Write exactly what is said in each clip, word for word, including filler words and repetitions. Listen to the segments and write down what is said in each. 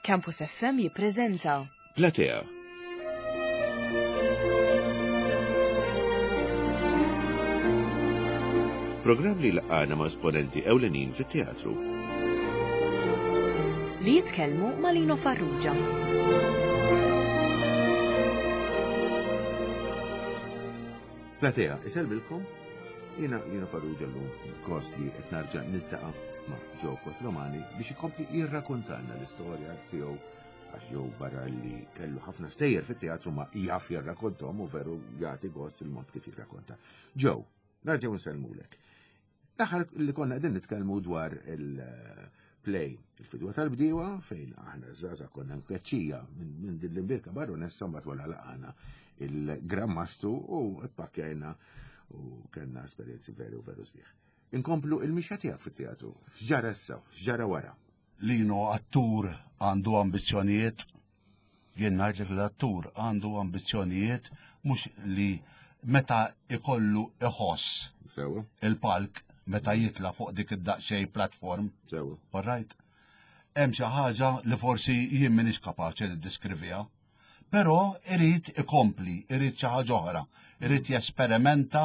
Campus F M jippreżenta Platea. Programm li laqana ma' esponenti ewlenin fit-teatru. Li jitkellmu ma' Lino Farrugia. Platea, isellmilkom, jiena Lino Farrugia, llum gost li qed nerġa' niltaqa' ma' Joe Quattromani biex ikompli jirrakontalna l-istorja tiegħu, għax Joe, barra li kellu ħafna stejjer fit-teatru, ma jaf jirrakontom u veru jagħti gost il-mod kif jirrakonta. Joe, nerġgħu nsellmulek. L-aħħar li konna qegħdin nitkellmu dwar il-play Il-Fidwa tal-Bdiewa, fejn aħna żgħażagħ konna mkeċċija minn din l-imbierka baronessa, mbagħad wara laqana il-Gran Mastru u ppakkjajna u kellna esperjenzi veru veru sbieħ. Inkomplu il-mixja tiegħek fit-teatru. X'ġara issa, x'ġara wara? Lino, attur għandu ambizzjonijiet. Jien ngħidlek, l-attur għandu ambizzjonijiet mhux li meta ikollu iħoss Sewa, il-palk, meta jitla fuq dik id-daqsxejn platform. sewa. All right? Hemm xi ħaġa li forsi jien m'iniex kapaċi niddeskriviha. Però irid ikompli, irid xi ħaġa oħra, irid jesperimenta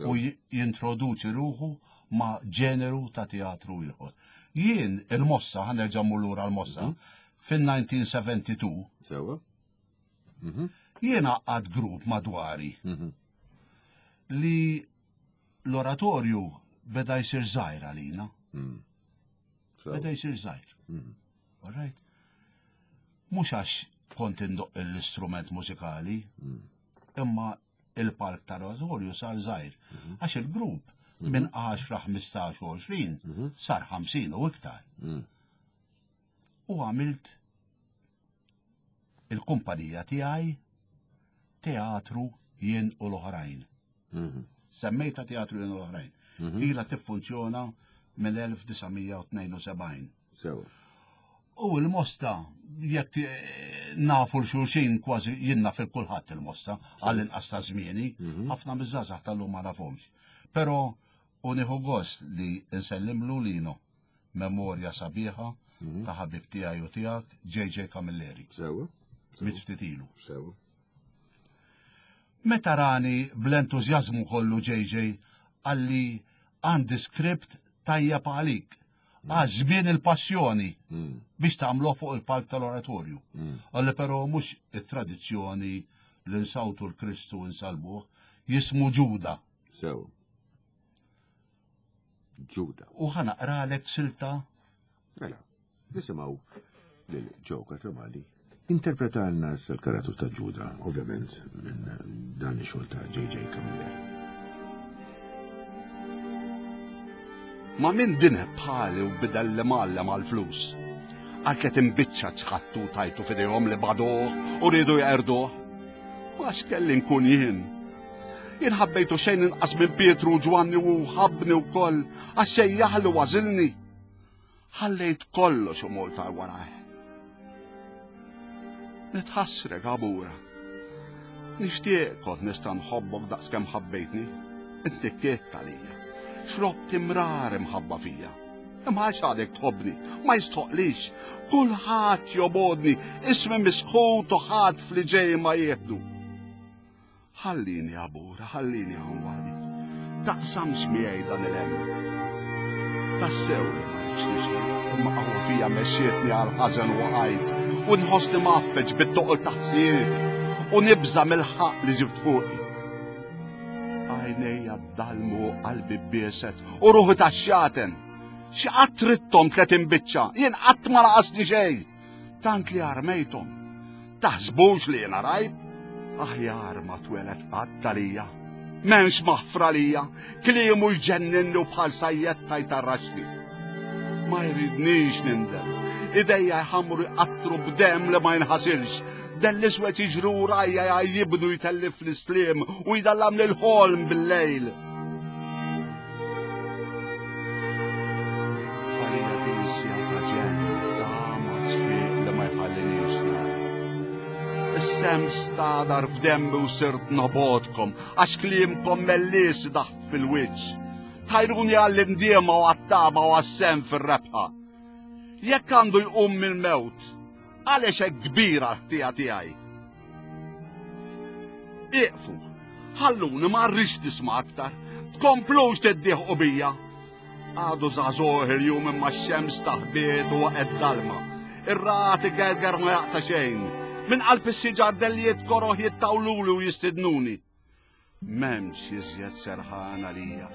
u j- jintroduċi ruħu ma' ġeneru ta' teatru ieħor. Jien il-Mosta, ħa nerġa' mmur lura l-Mosta, fin-elf disa' mija u tnejn u sebgħin Sewa. jien għaqqadt grupp madwari Mhm. li l-oratorju beda jsir żgħir għalina. Mm. Sewa. Beda jsir żgħir. Mhm. All right? Mhux għax kont indoq l-istrument mużikali, Mm. imma il-palk tal-oratorju sar żgħir. Għax il-grupp minn għaxra, ħmistax u għoxrin sar ħamsin u iktar. Mm. U għamilt il-kumpanija tiegħi, Teatru Jien u l-Oħrajn. Mhm. Semmejta Teatru Jien u l-Oħrajn. Ila tiffunzjona mill-elf disa' mija u tnejn u sebgħin. Sewa. U il-Mosta, jekk eh, nafu l-xulxin kważi, jien naf il-kulħadd il-Mosta, għall-inqas ta' żmieni, ħafna miż-żgħażagħ tal-lum ma nafhomx. Però u nieħu gost li nsellimlu, Lino, memorja sabiħa ta' ħabib tiegħi u tiegħek, J J Camilleri, Sewa. miet ftit ilu. Sewa. Meta rani bl-entużjażmu kollu J J, qalli, "Għandi skript tajjeb għalik. Għaż żmien il-passjoni Mm. biex tagħmluh fuq il-palk tal-oratorju." Mm. Qalli, però mhux it-tradizzjoni li nsawtu l-Kristu u nsalbuh, jismu Ġuda. Sewa. Ġuda. U ħa naqralek silta. Mela, nisimgħu lil Joe Quattromani interpretalna s-karattru ta' Ġuda, ovvjament minn dan ix-xogħol ta' J J Camilleri. Ma' min dineb bħali u bidel l-imgħallem għal-flus? Għal tletin biċċa ċħadtu, tajtu f'idejhom li bagħduh u riedu jeqirduh. Ma x'kelli nkun jien? Jien ħabbejtu xejn inqas minn Pietru u Ġwanni u ħabbni wkoll għax sejjaħli u għażilni. Ħallejt kollox u mort warajh. Nitħassrek, Għabura. Nixtieq kont nista' nħobbok daqs kemm ħabbejtni. Inti kitt għalija. Xrobt imrar imħabba fija. Imma għax għadek tħobbni, ma jistħoqlix. Kulħadd jobgħodni, ismi misħut u ħadd fli ġej ma jieħdu. Ħallini, Għabura, ħallini hawn waħdi. Taqsamx miegħi dan il-hemm. Tassew li ma rridx nixtieq, imma qawwa fija mexxietni għal ħażen u waqajt, u nħossni mgħaffeġ bit-toqol ta' ħsiebi, u nibża mill-ħaq li ġibt fuqi. Għajnejja dalmu, qalbi bieset, u ruħi tax-xjaten. X'qatt ridthom tletin biċċa, jien qatt ma naqasni xejn. Tant li armejthom. Taħsbux li jiena rajb? Aħjar ma tweled qatt għalija. M'hemmx maħfra lija, kliemu jġenninni u bħal sajjetta jtarraxni. Ma jridnix nindem. Idejja jħamru jqattru b'dem li ma jinħasilx. Dell-iswed jiġru rajja jibnu jtellif l-islim u jdallam l-ħolm bil-lejl. Għalija din is-siegħa ta' ġenn, ta' ma tfiq li ma jħallinix nara. Is-semm stagħdar f'demmi u sirt nobgħodkom, għax kliemkom mellies daħ fil-wiċċ. Tajruni għall-indiema u għat-tama u għas-sehem fil-rebħa. Jekk għandu jqum mill-mewt, Għaliex hekk kbira l-ħtija tiegħi? Iqfu, ħalluni ma rridx nisma' aktar, tkomplux tiddieħqu bija. Għadu żagħżugħ il-jum imma x-xemx taħbiet u waqgħet dalma. Ir-ragħad igerger ma jaqta' xejn. Minn qalb is-siġar dellijiet koroh jittawluli u jistidnuni. M'hemmx iżjed serħan għalija.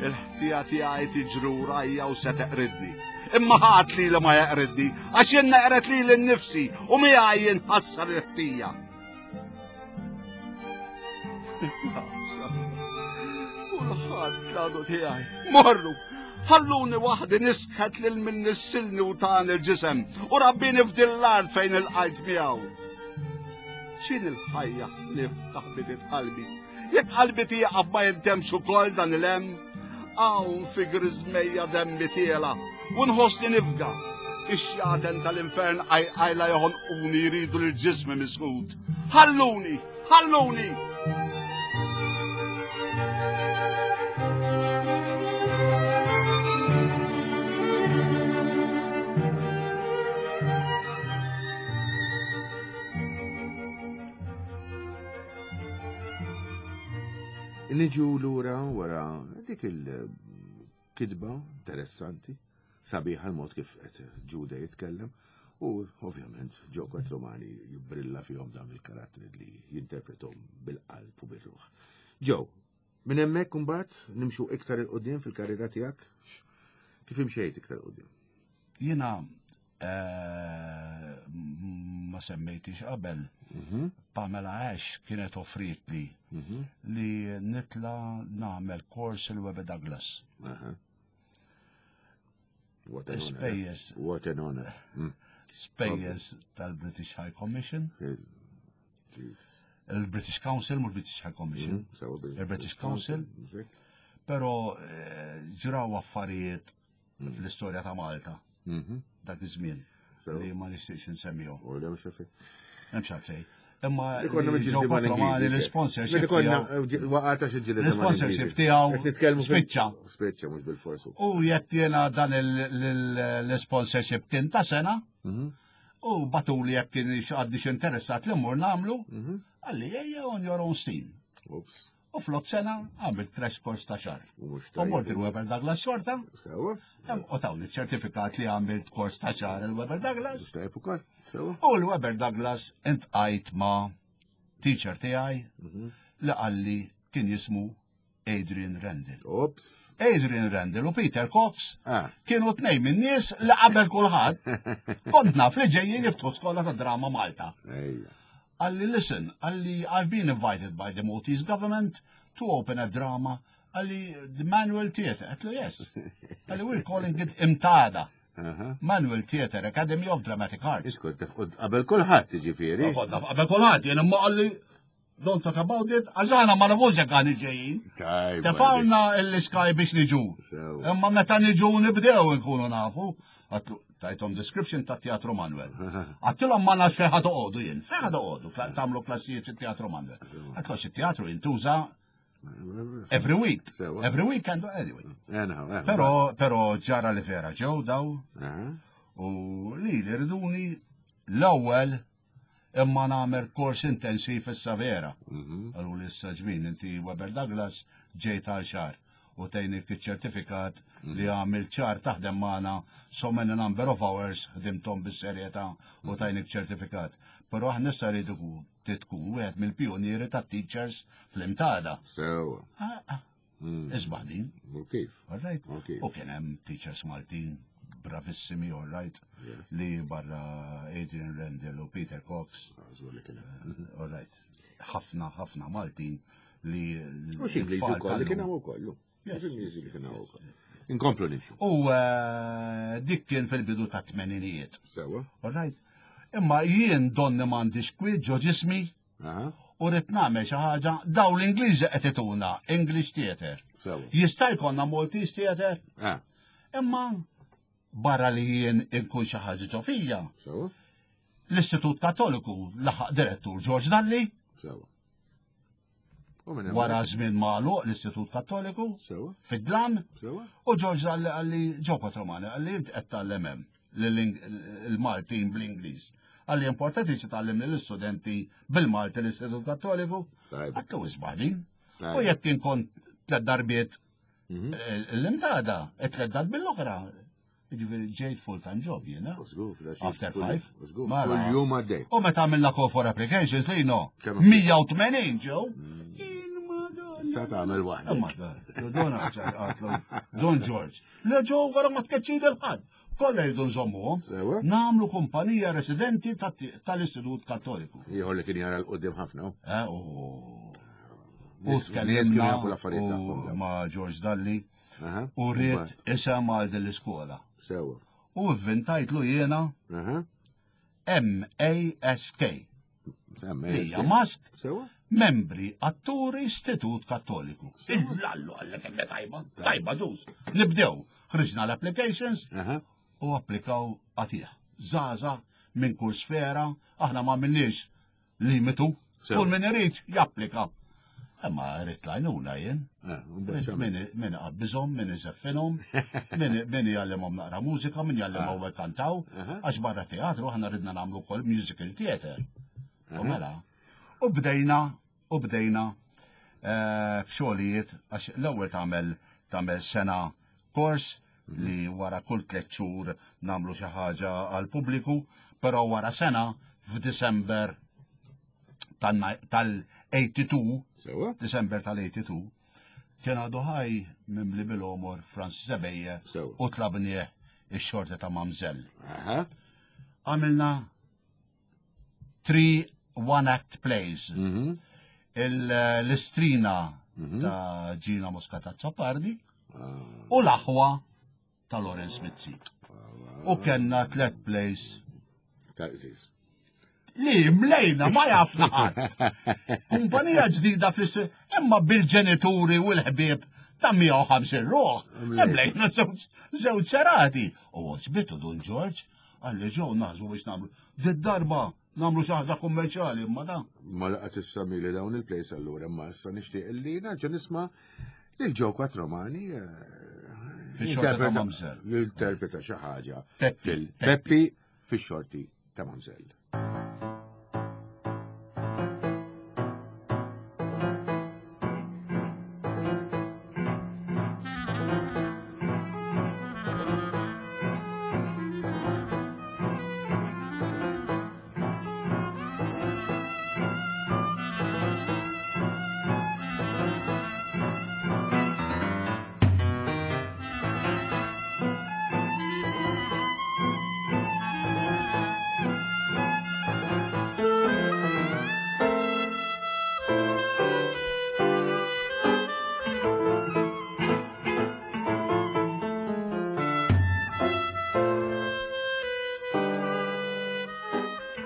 Il-ħtija tiegħi tiġri warajja u se teqridni. Imma ħadd li ma jeqridni, għax jien neqred lili nnifsi u miegħi jinħassar il-ħtija. Kulħadd l-għadu tiegħi. Morru, ħalluni waħdi nisħet lil min nissilni u tani l-ġisem u rabbini f'din l-art fejn iltqajt miegħu. X'inhi l-ħajja ħlief taħbitiet qalbi? Jekk qalbi tieqaf ma jintemx ukoll dan il-hemm, hawn fi griżmejja demmi tiela' u nħossni nifga. Ix-xjaten tal-infern għajla joħonquni jridu lil ġismi misħut. Ħalluni, ħalluni! Niġu lura wara dik il-kitba interessanti, sabiħa l-mod kif qed Ġuda jitkellem, u ovvjament Joe Quattromani jibbrilla fihom dawn il-karattri li jinterpretom bil-qalb u bil-ruħ. Joe, minn hemmhekk imbagħad nimxu iktar 'il quddiem fil-karriera tiegħek, kif imxejt iktar 'il quddiem? Jiena eh, ma semmejtix qabel. Mhm. Pamela Ash kienet offrietli Mhm. li nitla nagħmel kors il-Webber Douglas. Aha. What an honor. Spejjeż. What an honor. Mm. Spejjeż tal-British High Commission, Jesus. il-British Council, mhux British High Commission, Mm, sewa bil- il-British Council, però eh, ġraw affarijiet fl-istorja ta' Malta Mhm. dak iż-żmien Sewa. li ma nixtieqx insemmihom. U le mhux xefi. M'hemmx għalfejn. Imma Ikonna li miġġieldi Joe mal-Ingliżi, Quattromani ġe. l-sponsorship Meta konna tiegħu- waqgħata xi ġġieled L-sponsorship tiegħu Qed nitkellmu fil- spiċċa. Spiċċa mhux bil-forsu. U jekk jiena dan il- l- l-sponsorship kien ta' sena, Mhm. u batuli jekk kien għaddix interessat li mmur nagħmlu, Mhm. qalli ejja on your own steam. Ups. U flok sena għamilt crash course ta' xahar. U mhux U mort tajjeb. il-Webber Douglas xorta, Sewa. u tawni ċertifikat li għamilt kors ta' xahar il-Webber Douglas. Mhux tajjeb ukoll. Sewa. U l-Webber Douglas iltqajt ma' teacher tiegħi Mhm. li qalli kien jismu Adrian Randall. Ups. Adrian Randall u Peter Cox Ah. kienu tnejn minn nies li qabel kulħadd kont naf li ġejjin jiftħu skola ta' drama Malta. Ejja. Qalli, listen, qalli, I've been invited by the Maltese government to open a drama. Qalli, the Manuel Theatre. Għedtlu, yes. Qalli, we're calling it MTADA. Aha. Manuel Theatre Academy of Dramatic Arts. Iskont qabel kulħadd jiġifieri. Konna qabel kulħadd, jien imma qalli, don't talk about it, għax aħna ma nafux jekk aħna ġejjin. Tajb. Tefgħulna l-sky biex niġu. Sewa. Imma meta niġu nibdew nkunu nafu. Għedtlu, tajthom description ta' Teatru Manuel. Għedtilhom ma nafx fejn ħa toqogħdu jien. Fejn ħa toqogħdu tagħmlu klassijiet fit-Teatru Manuel. Għedtlu it-teatru jintuża every week. Sewa. Every weekend, anyway. Anyhow, eh, Però, però ġara li vera ġew daw Aha. u li li riduni l-ewwel imma nagħmel kors intensiv issa vera. Mhm. Qallu li issa ġmin inti Webber Douglas ġejt għal xahar u tajnik iċ-ċertifikat li għamil xahar taħdem magħna so many number of hours ħdimtom bis-serjetà u tajnik ċertifikat. Però aħna issa rridu tkun wieħed mill-pionieri tat-teachers fl-MTADA. Sewa. Ah, ah, Mm. Isbaħ din, U kif? all right? U kif? U kien hemm teachers Maltin bravissimi, all right, Yes. li barra Adrian Randall u Peter Cox, Żgur li kien hemm. all right, ħafna, ħafna Maltin li. U x'Ingliżi l-tfal wkoll li kien tal-lum. hawn ukoll. Yes. Ingliżi li kien hawn ukoll. Inkomplu nimxu. U eh, dik kien fil-bidu ta' tmeninijiet. Sewa. All right? Imma jien donni m'għandix kwiet ġo ġismi Aha. u rrid nagħmel xi ħaġa daw l-Ingliżi qed ituna English Theatre. Sewa. Jista' jkollna Maltese Theatre, Ah, imma barra li jien inkun xi ħaġa ġo fija. sewa. L-Istitut Kattoliku laħaq direttur George Dalli, Sewa. U minn hemm- wara żmien magħluq l-Istitut Kattoliku, Sewa. fid-dlam, Sewa. u George Dalli qalli Joe Quattromani qalli int qed tgħallem hemm il-Maltin bl-Ingliż. Għalli importanti xi tgħallim lill-istudenti bil-Malti l-Istitut Kattoliku. Għattu isbaħ din. U jekk inkun tliet darbiet l-imdada, tliet darbiet l-oħra. Ġifieri ġejt full-time job jiena. After five. Kull jum għaddej. U meta għamilna call for applications li no, mija u tmenin ġew. Sa tagħmel waħda. Imma Don Don George. Le ġew wara ma tkeċċi lil ħadd. Kollha jridu nżommuhom. Nagħmlu kumpanija residenti tal-Istitut Kattoliku. Ieħor li kien jara l-qudiem ħafna. Eh, u u tkellimna jafu l-affarijiet tagħhom. ma' George Dalli u rrid isem għal din l-iskola. Sewa. U vvintajtlu jiena M A S K. Hija Mask. Sewa. Membri Atturi Istitut Kattoliku. Illallu għallek kemm tajba, tajba ġuż. Nibdew, ħriġna l-applications u applikaw għatih. Zaza minn kull sfera, aħna ma għamilniex limitu. Kull min irid japplika. Imma rrid lajnuna jien. Min iqabbiżhom, min iżeffinhom, min jgħallimhom naqra mużika, min jgħallimhom kantaw, għax barra teatru aħna ridna nagħmlu wkoll musical theater. U mela. U bdejna, u bdejna f'xogħlijiet, għax l-ewwel tagħmel tagħmel sena kors li wara kull tliet xhur nagħmlu xi ħaġa għall-pubbliku, però wara sena f'Disember tal-eighty-two, Disember tal-eighty-two, kien għadu ħaj mimli bil-omor Francis Ebejer u tlabnieh ix-xorti ta' Mamżell. Għamilna three one-act plays. L-istrina ta' Gina Muscat Azzopardi u l-aħwa ta' Lawrence Mizzi. U kellna tliet plays. Ta' qżiż. Li mlejna ma jafna ħadd. Kumpanija ġdida fl-ist-, imma bil-ġenituri u l-ħbieb ta' mija u ħamsin ruħ. Mlejna żewġ serati. U għoġbitu Dun George, għalli ġew naħsbu biex nagħmlu. Did-darba nagħmlu xi ħaġa kummerċjali, imma da. Ma laqgħet issammi li dawn il-plays allura, imma issa nixtieq li nerġa' nisma' lil Joe Quattromani, eh, Fix-xorti ta' Mamżell. Jinterpreta xi ħaġa Peppi. fil-Peppi fix-xorti ta' Mamżell.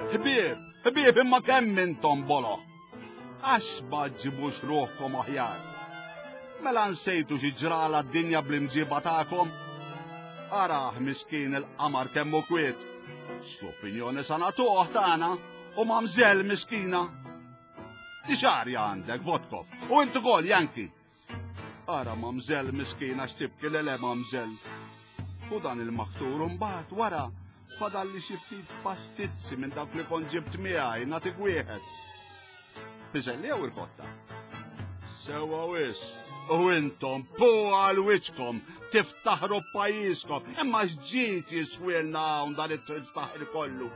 Ħbieb, ħbieb, imma kemm intom bolo. Għax ma ġibux ruħkom aħjar. Mela nsejtu xi ġrala d-dinja bl-imġiba tagħkom? Arah miskin il-qamar kemm hu kwiet. X'opinjoni sa nagħtuh tagħna u mamżell miskina. Di xarja għandek, Votkov, u inti ukoll, Janki. Ara mamżell miskina x'tibki le le mamżell. U dan il-maktur mbagħad wara fadalli xi ftit pastizzi minn dawk li kont ġibt miegħi nagħtik wieħed. Piżelli jew irkotta? Sewwa wis. U intom pu għal wiċċkom tiftaħru pajjiżkom, imma x'ġid jiswielna hawn dan it-tiftaħir kollu.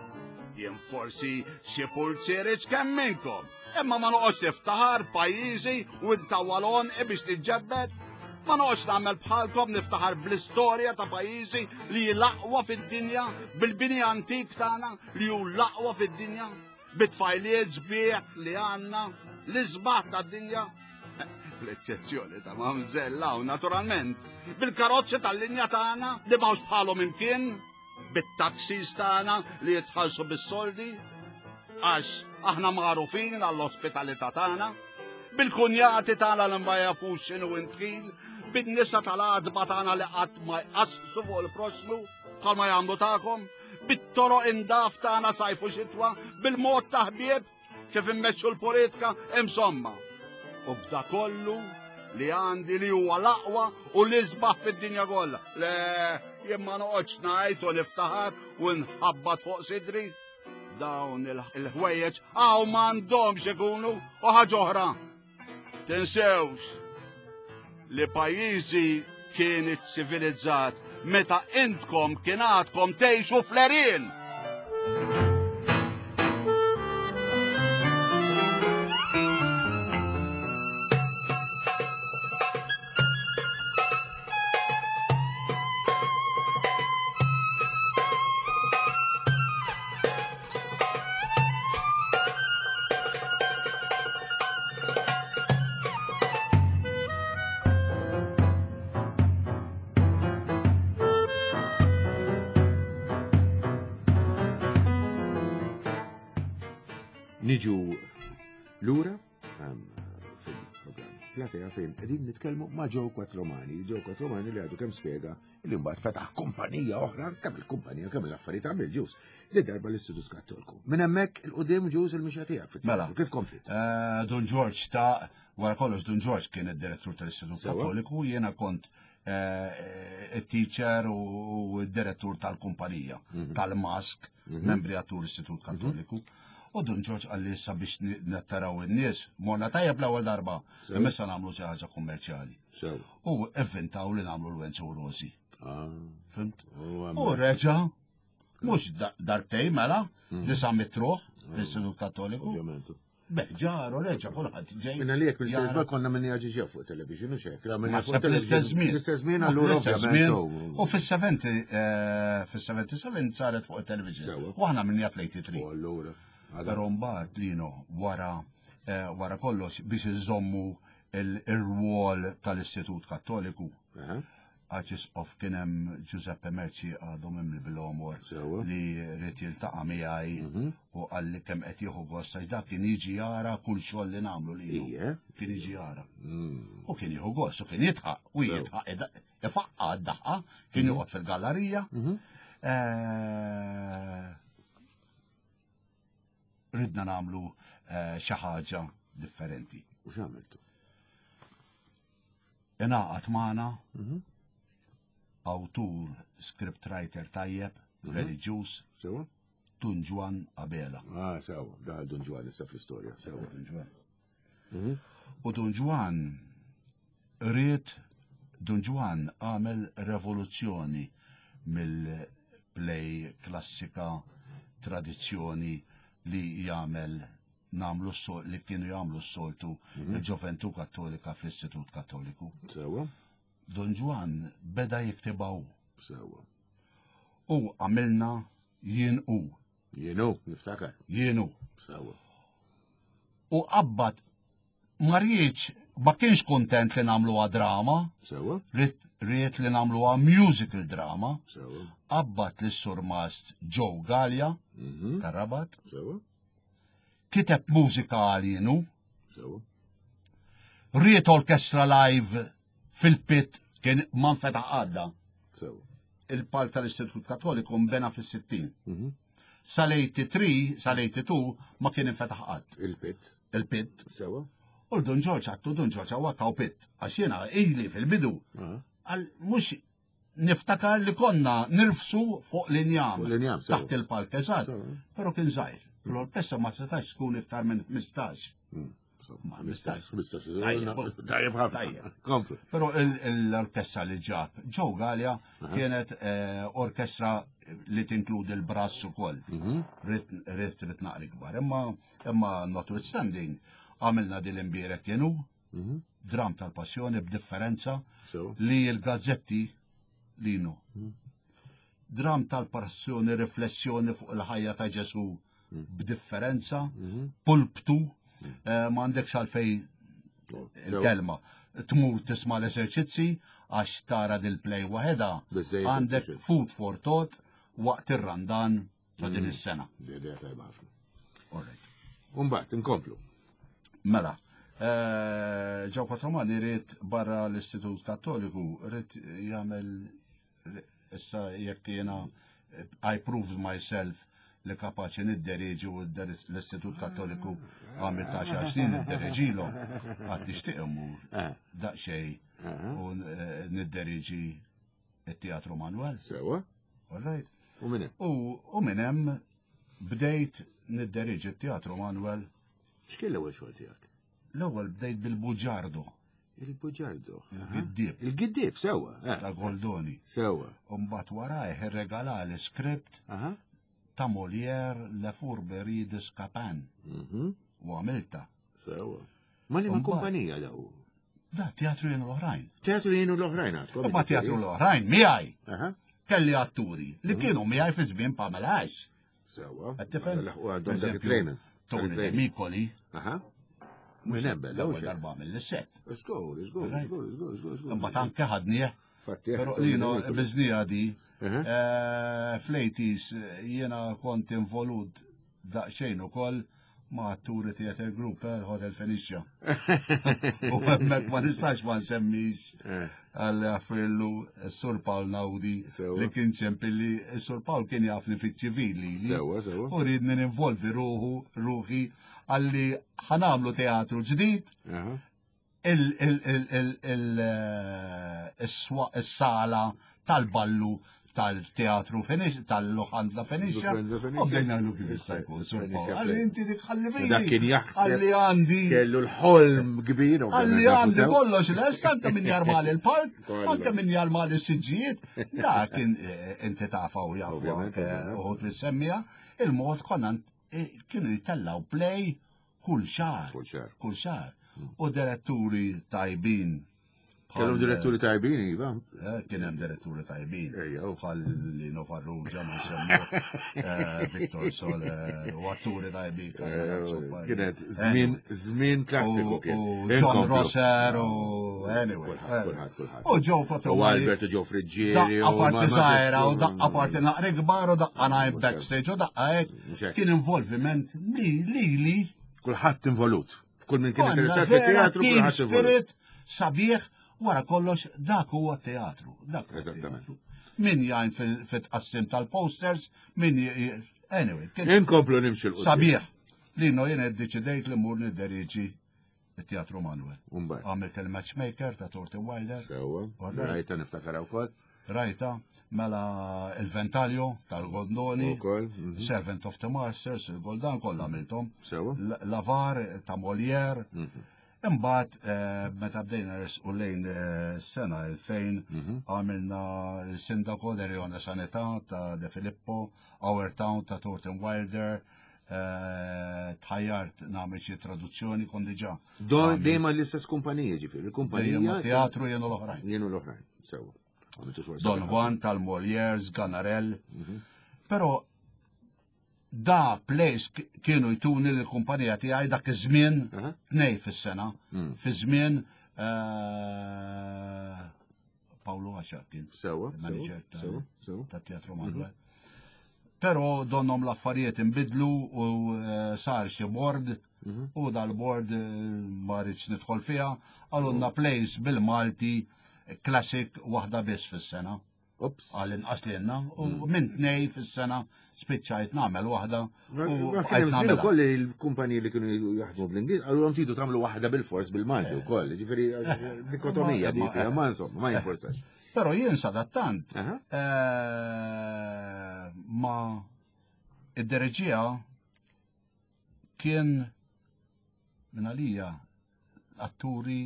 Jien forsi xi pulzieri kemm minnkom, imma ma noqgħodx niftaħar pajjiżi u ntawwal għonqi biex niġġebbed. Ma noqgħodx nagħmel bħalkom niftaħar bl-istorja ta' pajjiżi li hi l-aqwa fid-dinja, bil-bini antik tagħna li hu l-aqwa fid-dinja, bit-tfajliet sbieħ li għandna, l-isbaħ tad-dinja. Bl-eċċezzjoni ta' mamżell hawn naturalment, bil-karozzi tal-linja tagħna li m'hawnx bħalhom imkien, bit-taxis tagħna li jitħallsu bis-soldi, għax aħna magħrufin għall-ospitalità tagħna, bil-kunjati tagħna li ma jafux x'inhu intħil, bin-nisa tal-għadba tagħna li qatt ma jqasssu fuq il-proxxmu bħalma jagħmlu tagħkom, bit-toroq indaf tagħna sajfu xitwa, bil-mod ta' ħbieb kif immexxu l-politika, insomma. U b'da kollu li għandi li huwa l-aqwa u l-isbaħ fid-dinja kollha. Le, jien ma noqgħodx ngħid u niftaħar u nħabbat fuq sidri. Dawn il-ħwejjeġ hawn m'għandhomx ikunu u ħaġa oħra. Tinsewx li pajjiżi kien iċ-ċivilizzat meta intkom kien għadkom tgħixu fl-għerien. Niġu lura fil-programm Platea fejn qegħdin nitkellmu ma' Joe Quattromani. Joe Quattromani li għadu kemm spjega li mbagħad fetaħ kumpanija oħra, kemm il-kumpanija, kemm l-affarijiet għamel ġus, li darba l-Istitut Kattoliku. Minn hemmhekk il-qudiem ġus il-mixja tiegħek. Mela. Kif komplit? Dun George ta' wara kollox Dun George kien id-direttur tal-Istitut Kattoliku, jiena kont it-teacher u d-direttur tal-kumpanija, tal-Mask, membri għattur l-Istitut Kattoliku. U Dun George għalli issa biex nettaraw in-nies, morna tajjeb l-ewwel darba, imma issa nagħmlu xi ħaġa kummerċjali. U evvintaw li nagħmlu l-Wenzu Rosi. Fimt? U reġa, mhux darbtej mela, disa' mitruħ fl-Istitut Kattoliku. Beh, ġaru, reġa, kulħadd ġej. Minna li jekk mill-istess konna minn jaġi fuq television u xek. L-istess żmien. L-istess żmien allura ovvjament. U fis-seventy saret fuq television. U aħna minn fl-eighty-three. U allura. Però mbagħad Lino wara wara kollox biex iżommu il-rwol tal-Istitut Kattoliku. Arċisqof kien hemm Giuseppe Merci għadu mimli bil-omor li rrid jiltaqa' miegħi u qalli kemm qed jieħu gost għax dak kien jiġi jara kull xogħol li nagħmlu lilu. Kien jiġi jara. U kien jieħu gost u kien jidħaq u jidħaq ifaqqa d-daħqa, kien joqgħod fil-gallerija. Ridna nagħmlu xi ħaġa differenti. U x'għamiltu? Ingħaqad magħna awtur, scriptwriter tajjeb, reliġjuż, Dun Ġwann Abela. Ah, sewa, daħal Dun Ġwann issa fl-istorja, sewa. Dun Ġwann. U Dun Ġwann ried, Dun Ġwann għamel revoluzzjoni mill-play klassika tradizzjoni li jagħmel nagħmlu s-sol, li kienu jagħmlu s-soltu il-ġoventu Kattolika fl-Istitut Kattoliku. Sewa. Dun Ġwann beda jiktibaw. Sewa. U għamilna jien u. Jien u, niftakar. Jien u. Sewa. U qabad ma rridx, ma kienx kontent li nagħmluha drama. Sewa. Ried li nagħmluha musical drama. Sewa. Qabad lis-surmast Joe Gallia tar-Rabat. Sewa. Kiteb mużika għalinu. Sewa. Ried orkestra live fil-pit kien ma nfetaħ għadda. Sewa. Il-palk tal-Istitut Kattoliku nbena fis-sittin. Sal-eighty-three, sal-eighty-two ma kien infetaħ qatt. Il-pit. Il-pit. Sewa. U Dun Ġorġ għattu Dun Ġorġ għawak pit. Għax jiena ili fil-bidu. Għal mhux niftakar li konna nirfsu fuq l-injam. Fuq l-injam, sewa. Taħt il-palk, eżatt. Sewa. Però kien żgħir. L-orkestra ma setax tkun iktar minn ħmistax. Ma ħmistax. Ħmistax. Tajjeb. Tajjeb ħafna. Tajjeb. Komplu. Però l-orkestra li ġab Joe Gallia kienet orkestra li tinkludi l-brass ukoll. Rit rit naqri kbar. Imma imma notwithstanding għamilna din l-imbierek kienu dram tal-passjoni b'differenza li l-gazzetti linu. Dram tal-passjoni, riflessjoni fuq il-ħajja ta' Ġesu b'differenza, pulptu, ma għandekx għalfej il-kelma. Tmur tisma' l-eżerċizzi għax tara dil-play waħedha, għandek food for thought waqt ir-Randan ta' din is-sena. Idea tajba ħafna. All right. Umbagħad inkomplu. Mela, Joe Quattromani ried barra l-Istitut Kattoliku, ried jagħmel issa jekk jiena I proved myself li kapaċi nidderieġi u l-Istitut Kattoliku għamil ta' xar snin nidderieġilhom, għad nixtieq immur daqsxejn u nidderieġi it-Teatru Manuel. Sewa. All right. U minn hemm? U minn hemm Bdejt nidderiġi t-teatru Manuel. X'kien l-ewwel xogħol tiegħek? L-ewwel bdejt bil-Buġardo. Il-Buġardo. Il-Giddib. Il-Giddib, sewwa. Eh. Ta' Goldoni. Sewwa. Umbat warajh irregalali script ta' Molière Le Fourberie de Scapin. Mhm. U għamilta. Sewwa. Ma li ma kumpanija daw? Da, teatru jenu l-oħrajn. Teatru jenu l-oħrajn għadkom. Ma teatru l-oħrajn, miegħi. Kelli atturi li mhm. kienu miegħi fi żmien Pamela Ash. Sewwa. Qed tifhem? Għandhom dak it-training. Tony Mikoli. Aha. Mux nebbe, l-ewwel darba mill-set. Żgur, żgur, żgur, żgur, żgur. Imbagħad anke ħadnieh. Però lino biżnija di. Eh, fl-eighties jiena kont involut daqsxejn ukoll ma' atturi Theater Group, eh, Hotel Fenicia. U hemmhekk ma nistax ma nsemmix eh. għal affrillu Sur Paul Naudi li kien ċempilli, Sur Paul kien jafni fiċ-ċivili. Sewa, sewa. U ridni ninvolvi ruħu, ruħi, għalli ħanamlu teatru ġdid. Il-sala tal-ballu tal-teatru Fenicia, tal-Locanda Fenicia, u bdejna għallu kif jista' jkun, Sur Paul. Għalli inti dik ħalli fini. Dak kien jaħseb. Għalli għandi. Kellu l-ħolm kbir. Għalli għandi kollox lest, anke min jarmali l-park, anke min jarmali s-siġġijiet. Dak kien eh, inti tafa u jafu uħut li semmija, il-mod konna eh, kienu jitellaw play kull xahar. Kull xahar. Kull xahar. U diretturi tajbin. Kellhom diretturi tajbin, iva. Eh, kien hemm diretturi tajbin. Bħal Lino Farrugia, ma nsemmu, eh, Victor Soler, u atturi tajbin. Eh, kienet żmien żmien klassiku kien. U John Rosser u anyway. Kulħadd, kulħadd. U Joe Quattromani. U Albert u Joe Friggieri. Daqqa parti sajra, u daqqa parti naqri kbar, u daqqa ngħid backstage, u daqqa hekk. Kien involviment li li li. Kulħadd involut. Kull min kien interessat fit-teatru, kulħadd involut. Sabiħ, wara kollox dak huwa teatru. Dak Eżattament. Min jgħin fil-tqassim tal-posters, min anyway. Inkomplu nimxu l Sabiħ. Lino jien iddeċidejt li mmur nidderiġi it-Teatru Manuel. Għamilt il-matchmaker ta' Thornton Wilder. Sewwa. Rajta niftakar wkoll. Rajta, mela il-Ventalio tal-Goldoni, mhm. Servant of the Masters, il-Goldan kollha għamilthom. Sewwa. Lavar ta' Molière. Mhm. Imbagħad eh, meta bdejna resqu lejn eh, sena elfejn mhm. għamilna l-Sindaco de Rione Sanità ta' De Filippo, Our Town ta' Thornton Wilder, eh, tħajjart nagħmel xi traduzzjoni kon diġà. Don dejjem l-istess kumpanija ġifieri, il-kumpanija teatru jenu l-oħrajn. Jenu l-oħrajn, sewwa. Don Juan tal-Molière, Sganarelle. Mhm. Però da place kienu jtuni l-kumpanija tiegħi dak iż-żmien tnej fis-sena, Mm. fi żmien eh, Paolo Għaxaq kien Sewwa, manager sewwa, sewwa. ta' Teatru Manuel. Però donhom l-affarijiet inbidlu u eh, sar xi board Mhm. u dal-board eh, ma rridx nidħol fiha, għalunna place bil-Malti classic waħda biss fis-sena. Ops. Għal inqas li jenna, u minn tnej fis-sena spiċċajt nagħmel waħda. Ma U kien hemm bqajt żmien nagħmilha. ukoll li l-kumpaniji li kienu jaħdmu bl-Ingliż għalhom tridu tagħmlu waħda bil-fors bil-Malti wkoll, ġifieri dikotomija di fiha, ma insomma, ma jimportax. Però jien sadattant Aha. eh, ma id-dereġija kien minn għalija atturi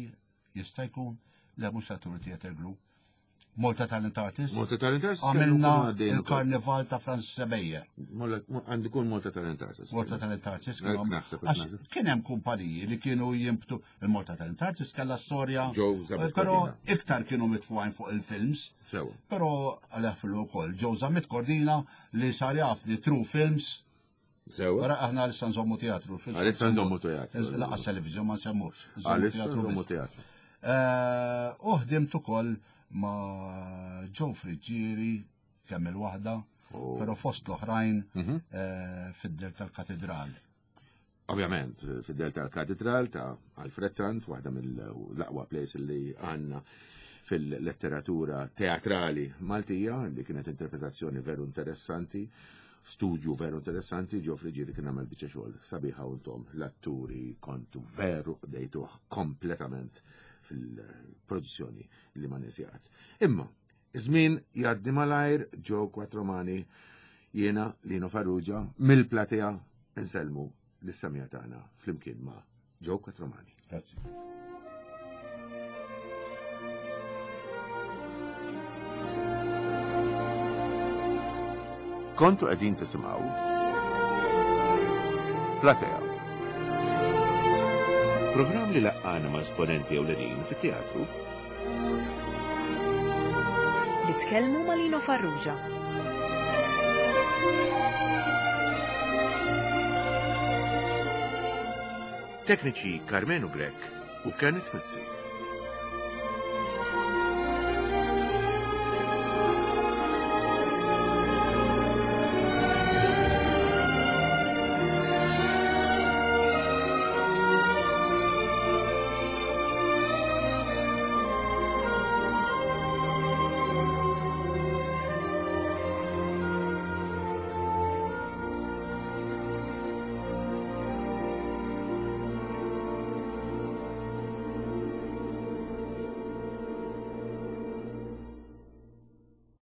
jista' jkun le mhux atturi Theater Group. Malta Talent Artists. Malta Talent Artists Għamilna kellu jkunu għaddejn ukoll. il-karnival ta' Francis Sebejer. Għandu jkun Malta Talent Artists. Malta Talent Artists Hekk kienu naħseb, għax naħseb. kien hemm kumpaniji li kienu jimbtu il-Malta Talent Artists kellha storja. Joe Zammit Però Cordina. iktar kienu mitfuqajn fuq il-films. Sewa. Però għalef ukoll Joe Zammit Cordina li sar jaf li True Films. Sewa. Wara aħna għalissa nżommu teatru. films Għalissa nżommu teatru. Laqas televizjon ma nsemmux. Nżommu Għalissa teatru nżommu biss. teatru. Eh, U ħdimt ukoll ma' Joe Friggieri kemm il-waħda, Oh. però fost l-oħrajn Mhm. eh, fid-del tal-katedral. Ovvjament, fid-del tal-katedral ta' Alfred Sant, waħda mill-aqwa plays li għandna fil-letteratura teatrali Maltija, li kienet interpretazzjoni veru interessanti, studju veru interessanti, Joe Friggieri kien għamel biċċa xogħol sabiħa u intom l-atturi kontu veru dejtuh kompletament fil-produzzjoni li ma nisjaqat. Imma, żmien jgħaddi malajr, Joe Quattromani Jiena Lino Farrugia mill-platea nsellmu lis-semmiegħa tagħna flimkien ma' Joe Quattromani. Grazzi. Kontu qegħdin tisimgħu Platea. Programm li laqqana ma' esponenti ewlenin fit-teatru Li tkellmu ma' Lino Farrugia. Tekniċi Carmenu Grech u Kenneth Mizzi.